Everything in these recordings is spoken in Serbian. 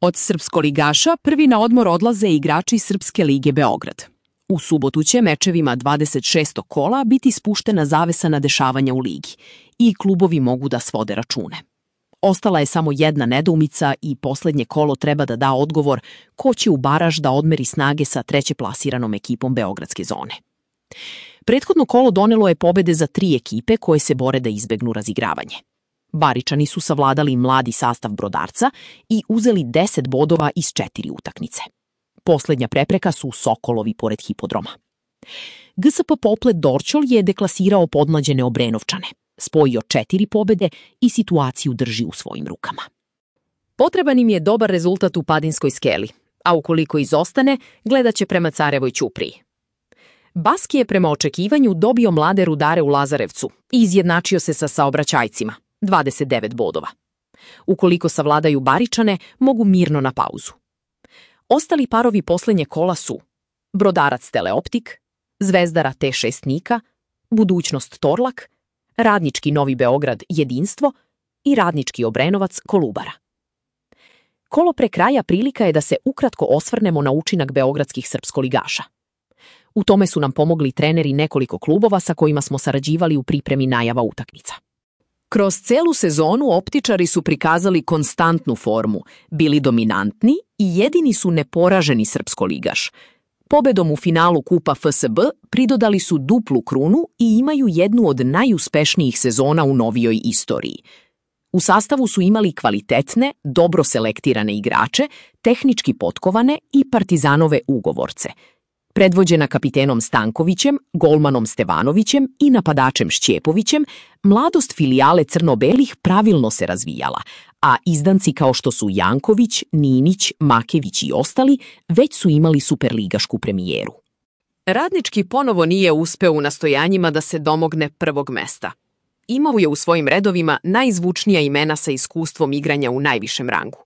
Od srpskoligaša prvi na odmor odlaze igrači Srpske lige Beograd. U subotu će mečevima 26. kola biti spuštena zavesa na dešavanja u ligi i klubovi mogu da svode račune. Ostala je samo jedna nedoumica i poslednje kolo treba da da odgovor ko će u baraž da odmeri snage sa treće plasiranom ekipom Beogradske zone. Prethodno kolo donelo je pobede za 3 ekipe koje se bore da izbegnu razigravanje. Baričani su savladali mladi sastav Brodarca i uzeli 10 bodova iz 4 utakmice. Poslednja prepreka su Sokolovi pored hipodroma. GSP Poplet Dorćol je deklasirao podmlađene Obrenovčane, spojio 4 pobede i situaciju drži u svojim rukama. Potreban im je dobar rezultat u Padinskoj Skeli, a ukoliko izostane, gledat će prema Carevoj Ćupriji. Baski je prema očekivanju dobio mlade Rudare u Lazarevcu i izjednačio se sa saobraćajcima, 29 bodova. Ukoliko savladaju Baričane, mogu mirno na pauzu. Ostali parovi poslednje kola su Brodarac Teleoptik, Zvezdara T6 Nika, Budućnost Torlak, Radnički Novi Beograd Jedinstvo i Radnički Obrenovac Kolubara. Kolo pre kraja prilika je da se ukratko osvrnemo na učinak beogradskih srpskoligaša. U tome su nam pomogli treneri nekoliko klubova sa kojima smo sarađivali u pripremi najava utakmica. Kroz celu sezonu optičari su prikazali konstantnu formu, bili dominantni i jedini su neporaženi srpskoligaš. Pobedom u finalu Kupa FSB pridodali su duplu krunu i imaju jednu od najuspešnijih sezona u novijoj istoriji. U sastavu su imali kvalitetne, dobro selektirane igrače, tehnički potkovane i Partizanove ugovorce. Predvođena kapitenom Stankovićem, golmanom Stevanovićem i napadačem Šćepovićem, mladost filijale crno-belih pravilno se razvijala, a izdanci kao što su Janković, Ninić, Makević i ostali već su imali superligašku premijeru. Radnički ponovo nije uspeo u nastojanjima da se domogne prvog mesta. Imao je u svojim redovima najzvučnija imena sa iskustvom igranja u najvišem rangu.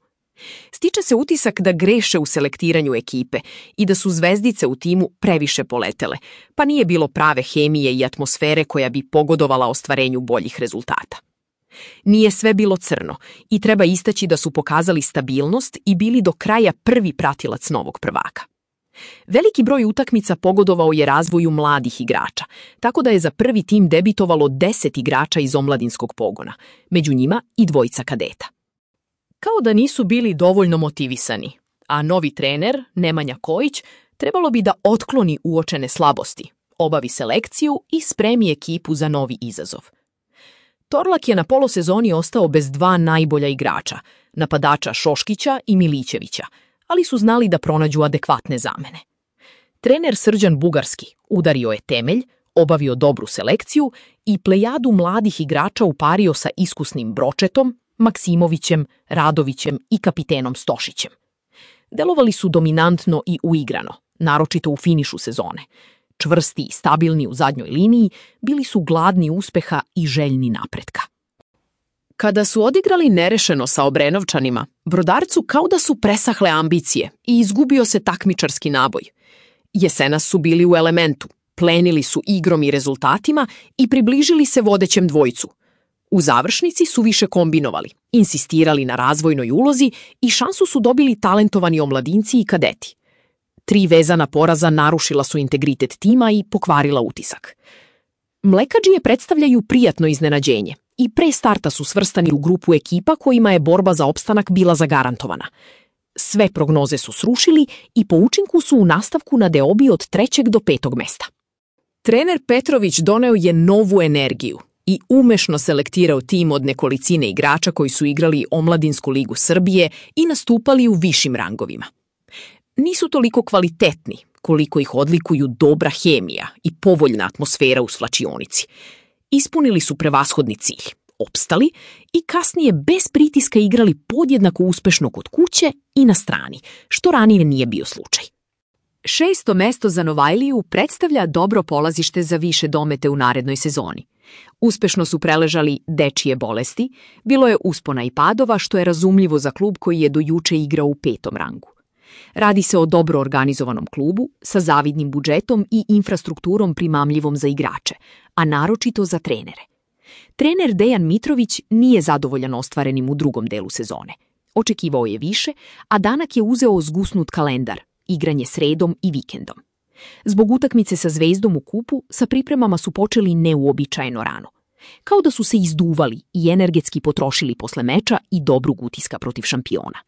Stiče se utisak da greše u selektiranju ekipe i da su zvezdice u timu previše poletele, pa nije bilo prave hemije i atmosfere koja bi pogodovala ostvarenju boljih rezultata. Nije sve bilo crno i treba istaći da su pokazali stabilnost i bili do kraja prvi pratilac novog prvaka. Veliki broj utakmica pogodovao je razvoju mladih igrača, tako da je za prvi tim debitovalo 10 igrača iz omladinskog pogona, među njima i 2 kadeta. Kao da nisu bili dovoljno motivisani, a novi trener, Nemanja Kojić, trebalo bi da otkloni uočene slabosti, obavi selekciju i spremi ekipu za novi izazov. Torlak je na polosezoni ostao bez 2 najbolja igrača, napadača Šoškića i Milićevića, ali su znali da pronađu adekvatne zamene. Trener Srđan Bugarski udario je temelj, obavio dobru selekciju i plejadu mladih igrača upario sa iskusnim Bročetom, Maksimovićem, Radovićem i kapitenom Stošićem. Delovali su dominantno i uigrano, naročito u finišu sezone. Čvrsti i stabilni u zadnjoj liniji, bili su gladni uspeha i željni napretka. Kada su odigrali nerešeno sa Obrenovčanima, Brodarcu kao da su presahle ambicije i izgubio se takmičarski naboj. Jesenas su bili u elementu, plenili su igrom i rezultatima i približili se vodećem dvojcu. U završnici su više kombinovali, insistirali na razvojnoj ulozi i šansu su dobili talentovani omladinci i kadeti. 3 vezana poraza narušila su integritet tima i pokvarila utisak. Mlekadžije predstavljaju prijatno iznenađenje i pre starta su svrstani u grupu ekipa kojima je borba za opstanak bila zagarantovana. Sve prognoze su srušili i po učinku su u nastavku na deobi od 3. do 5. mesta. Trener Petrović doneo je novu energiju i umešno selektirao tim od nekolicine igrača koji su igrali Omladinsku ligu Srbije i nastupali u višim rangovima. Nisu toliko kvalitetni koliko ih odlikuju dobra hemija i povoljna atmosfera u svlačionici. Ispunili su prevashodni cilj, opstali i kasnije bez pritiska igrali podjednako uspešno kod kuće i na strani, što ranije nije bio slučaj. 6. mesto za Novajliju predstavlja dobro polazište za više domete u narednoj sezoni. Uspešno su preležali dečije bolesti, bilo je uspona i padova, što je razumljivo za klub koji je do juče igrao u 5. rangu. Radi se o dobro organizovanom klubu sa zavidnim budžetom i infrastrukturom primamljivom za igrače, a naročito za trenere. Trener Dejan Mitrović nije zadovoljan ostvarenim u drugom delu sezone. Očekivao je više, a Danak je uzeo zgusnut kalendar, igranje sredom i vikendom. Zbog utakmice sa Zvezdom u kupu, sa pripremama su počeli neuobičajeno rano. Kao da su se izduvali i energetski potrošili posle meča i dobrog utiska protiv šampiona.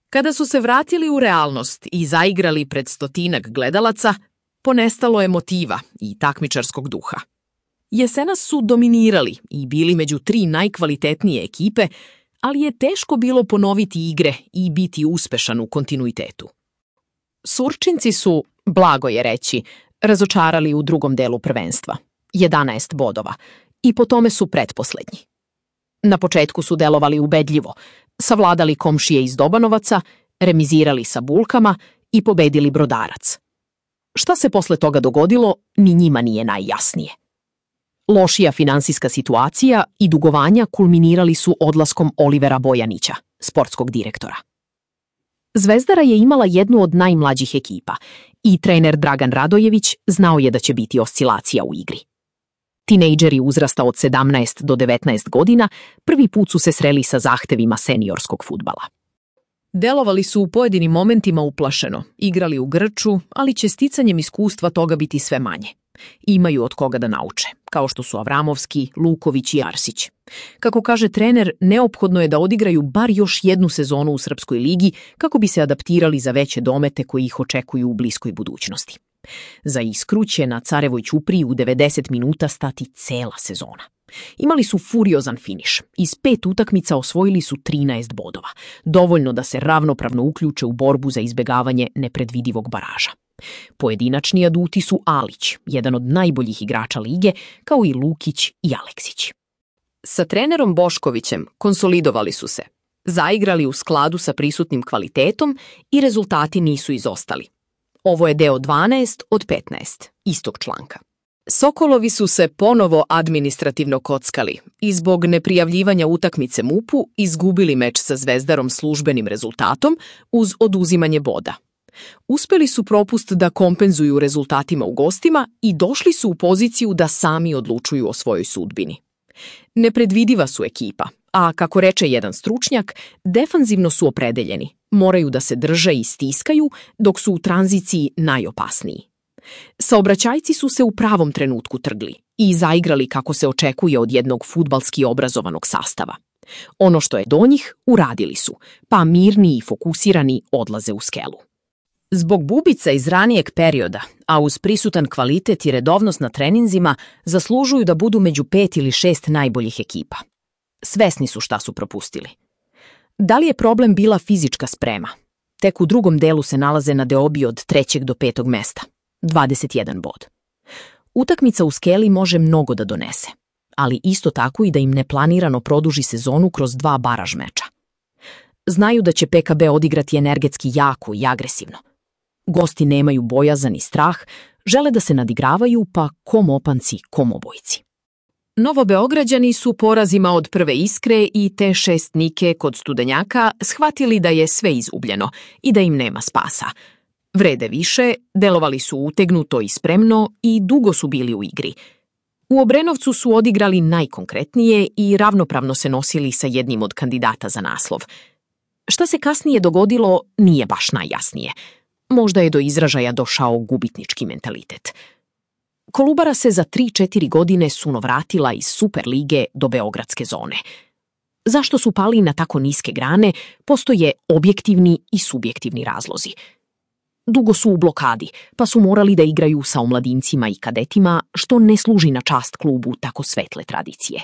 Kada su se vratili u realnost i zaigrali pred 100-ak gledalaca, ponestalo je motiva i takmičarskog duha. Jesenas su dominirali i bili među 3 najkvalitetnije ekipe, ali je teško bilo ponoviti igre i biti uspešan u kontinuitetu. Surčinci su, blago je reći, razočarali u drugom delu prvenstva, 11 bodova, i po tome su pretposlednji. Na početku su delovali ubedljivo, savladali komšije iz Dobanovaca, remizirali sa Bulkama i pobedili Brodarac. Šta se posle toga dogodilo, ni njima nije najjasnije. Lošija finansijska situacija i dugovanja kulminirali su odlaskom Olivera Bojanića, sportskog direktora. Zvezdara je imala jednu od najmlađih ekipa i trener Dragan Radojević znao je da će biti oscilacija u igri. Tinejdžeri uzrasta od 17 do 19 godina prvi put su se sreli sa zahtevima seniorskog fudbala. Delovali su u pojedinim momentima uplašeno, igrali u grču, ali će sticanjem iskustva toga biti sve manje. Imaju od koga da nauče, kao što su Avramovski, Luković i Arsić. Kako kaže trener, neophodno je da odigraju bar još jednu sezonu u Srpskoj ligi kako bi se adaptirali za veće domete koji ih očekuju u bliskoj budućnosti. Za Iskru će na Carevoj ćupriji u 90 minuta stati cela sezona. Imali su furiozan finiš. Iz 5 utakmica osvojili su 13 bodova. Dovoljno da se ravnopravno uključe u borbu za izbegavanje nepredvidivog baraža. Pojedinačni aduti su Alić, jedan od najboljih igrača lige, kao i Lukić i Aleksić. Sa trenerom Boškovićem konsolidovali su se, zaigrali u skladu sa prisutnim kvalitetom i rezultati nisu izostali. Ovo je deo 12 od 15 istog članka. Sokolovi su se ponovo administrativno kockali i zbog neprijavljivanja utakmice MUP-u izgubili meč sa Zvezdarom službenim rezultatom uz oduzimanje boda. Uspeli su propust da kompenzuju rezultatima u gostima i došli su u poziciju da sami odlučuju o svojoj sudbini. Nepredvidiva su ekipa, a kako reče jedan stručnjak, defanzivno su opredeljeni, moraju da se drže i stiskaju dok su u tranziciji najopasniji. Saobraćajci su se u pravom trenutku trgli i zaigrali kako se očekuje od jednog fudbalski obrazovanog sastava. Ono što je do njih, uradili su, pa mirni i fokusirani odlaze u skelu. Zbog bubica iz ranijeg perioda, a uz prisutan kvalitet i redovnost na treninzima, zaslužuju da budu među 5 ili 6 najboljih ekipa. Svesni su šta su propustili. Da li je problem bila fizička sprema? Tek u drugom delu se nalaze na deobi od 3. do 5. mesta. 21 bod. Utakmica u skeli može mnogo da donese, ali isto tako i da im neplanirano produži sezonu kroz 2 baraž meča. Znaju da će PKB odigrati energetski jako i agresivno. Gosti nemaju bojazan i strah, žele da se nadigravaju, pa kom opanci, kom obojci. Novobeograđani su porazima od prve Iskre i te šestnike kod Studenjaka shvatili da je sve izgubljeno i da im nema spasa. Vrede više, delovali su utegnuto i spremno i dugo su bili u igri. U Obrenovcu su odigrali najkonkretnije i ravnopravno se nosili sa jednim od kandidata za naslov. Šta se kasnije dogodilo, nije baš najjasnije. Možda je do izražaja došao gubitnički mentalitet. Kolubara se za 3-4 godine suno vratila iz Super lige do beogradske zone. Zašto su pali na tako niske grane, postoje objektivni i subjektivni razlozi. Dugo su u blokadi, pa su morali da igraju sa omladincima i kadetima, što ne služi na čast klubu tako svetle tradicije.